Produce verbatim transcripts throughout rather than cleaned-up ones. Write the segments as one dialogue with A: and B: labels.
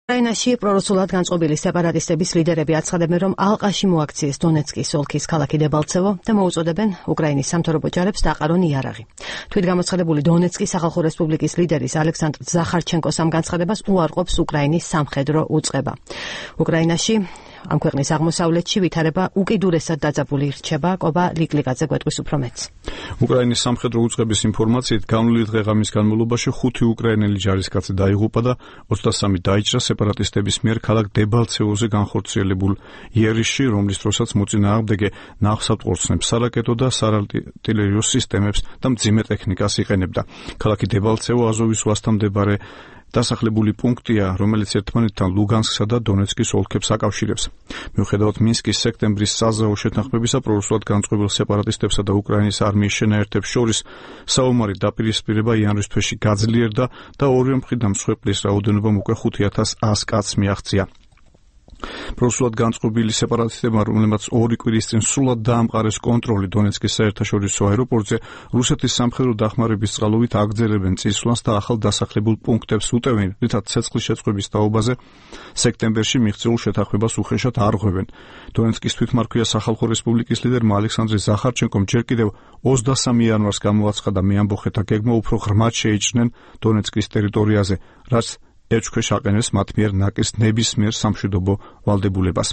A: უკრაინაში პრორუსულად განწყობილი სეპარატისტების ლიდერები აცხადებენ, რომ ალყაში მოაქციეს დონეცკის ოლქის ქალაქი დებალცევო და მოუწოდებენ უკრაინის სამთავრობო ჯარებს დაყარონ იარაღი. თვითგამოცხადებული დონეცკის სახალხო რესპუბლიკის ლიდერის ალექსანდრ ზახარჩენკოს ამ განცხადებას უარყოფს უკრაინის სამხედრო უწყება. უკრაინაში ამ ქვეყნის აღმოსავლეთში ვითარება უკიდურესად დაძაბული რჩება. კობა ლიკლიკაძე გვეტყვის უფრო მეტს.
B: უკრაინის სამხედრო უწყების ინფორმაციით, განვლილი დღე-ღამის განმავლობაში ხუთი უკრაინელი ჯარისკაცი დაიღუპა და ოცდასამი დაიჭრა სეპარატისტების მიერ ქალაქ დებალცევოზე განხორციელებულ იერიში, რომლის დროსაც მოწინააღმდეგე ნავსადგურს სარაკეტო და საარტილერიო სისტემებს და მძიმე ტექნიკას იყენებდა. ქალაქი დებალცევო აზოვის ზღვასთან მდებარე დასახლებული პუნქტია, რომელიც ერთმანეთთან ლუგანსკსა და დონეცკის ოლქებს აკავშირებს. მიუხედავად მინსკის სექტემბრის საზავო შეთანხმებისა, პრორუსულად განწყობილ სეპარატისტებსა და უკრაინის არმიის შენაერთებს შორის საომარი დაპირისპირება იანვრის თვეში გაძლიერდა და ორივე მხრიდან მსხვერპლის რაოდენობამ უკვე ხუთ ათას ას კაცს მიაღწია. პრორუსულად განწყობილი სეპარატისტებმა, რომლებმაც ორი კვირის წინ სრულად დაამყარეს კონტროლი დონეცკის საერთაშორისო აეროპორტზე, რუსეთის სამხედრო დახმარების წყალობით აგრძელებენ წისვლას და ახალ დასახლებულ პუნქტებს უტევენ, რითაც ცეცხლის შეწყობის თაობაზე სექტემბერში მიღწეულ შეთანხმებას უხეშად არღვევენ. დონეცკის თვითმარქვია სახალხო რესპუბლიკის ლიდერმა ალექსანდრე ზახარჩენკომ ჯერ კიდევ ოცდასამი იანვარს გამოაცხადა მეამბოხეთა გეგმა უფრო ღრმად შეიჭრნენ დონეცკის ტერიტორიაზე, რაც ეჭქვეშ აყენებს მათ მიერ ნაკის ნებისმიერ სამშვიდობო ვალდებულებას.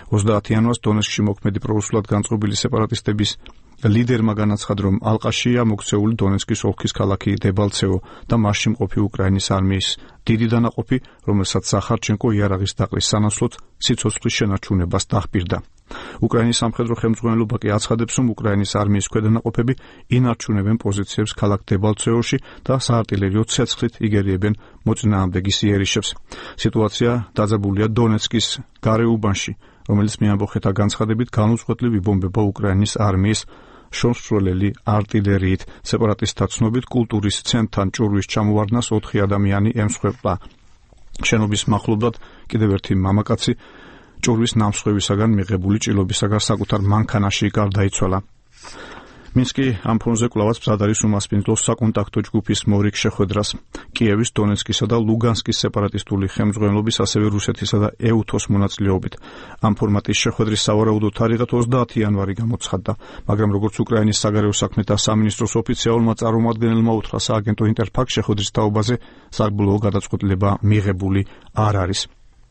B: ოცდაათი იანვარს დონეცკში მოქმედი პრორუსულად განწყობილი სეპარატისტების ლიდერმა განაცხადა, რომ ალყაშია მოქცეული დონეცკის ოლქის ქალაქი დებალცევო და მასში მყოფი უკრაინის არმიის დიდი დანაყოფი, რომელსაც ზახარჩენკო იარაღის დაყრის სანაცვლოდ სიცოცხლის შენარჩუნებას დახპირდა. უკრაინის სამხედრო ხელმძღვანელობა კი აცხადებს, რომ უკრაინის არმიის ქვედანაყოფები ინარჩუნებენ პოზიციებს ქალაქ დებალცევოში და საარტილერიო ცეცხლით იგერიებენ მოწინააღმდეგის იერიშებს. სიტუაცია დაძაბულია დონეცკის გარეუბანში, რომელიც მეამბოხეთა განცხადებით განუწყვეტლივ იბომბება უკრაინის არმიის შორსროლელი არტილერიით. სეპარატისტთა ცნობით, კულტურის ცენტრთან ჭურვის ჩამოვარდნას ოთხი ადამიანი ემსხვერპლა. შენობის მახლობლად კიდევ ერთი მამაკაცი ჭურვის ნამსხვრევისაგან მიღებული ჭრილობისაგან საკუთარ მანქანაში გარდაიცვალა. მინსკი ამ ფონზე კვლავაც მზად არის უმასპინძლო საკონტაქტო ჯგუფის მორიგ შეხვედრას. კიევის, დონეცკისა და ლუგანსკის სეპარატისტული ხელმძღვანელობის, ასევე რუსეთისა და ეუთოს მონაწილეობით. ამ ფორმატის შეხვედრის სავარაუდო თარიღად ოცდაათი იანვარი გამოცხადდა, მაგრამ როგორც უკრაინის საგარეო საქმეთა სამინისტროს ოფიციალურმა წარმომადგენელმა უთხრა სააგენტო ინტერფაქს, შეხვედრის თაობაზე საბოლოო გადაწყვეტილება მიღებული არ არის.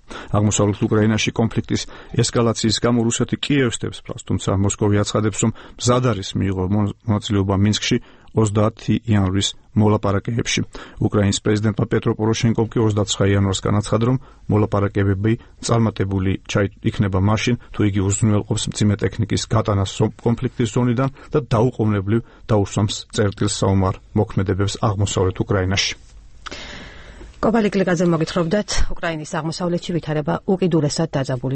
B: აღმოსავლეთ უკრაინაში კონფლიქტის ესკალაციის გამო რუსეთი კიევს დებს ფრას, თუმცა მოსკოვი აცხადებს, რომ მზად არის მიიღო მონაწილეობა მინსკში ოცდაათი იანვრის მოლაპარაკებებში. უკრაინის პრეზიდენტმა პეტრო პოროშენკომ კი ოცდაცხრა იანვარს განაცხადა, რომ მოლაპარაკებები წარმატებული იქნება მაშინ, თუ იგი უზრუნველყოფს მძიმე ტექნიკის გატანას კონფლიქტის ზონიდან და დაუყოვნებლივ დაუსვამს წერტილს საომარ მოქმედებებს აღმოსავლეთ უკრაინაში.
A: კობა ლიკლიკაძე მოგითხრობდათ, უკრაინის აღმოსავლეთში ვითარება უკიდურესად დაძაბული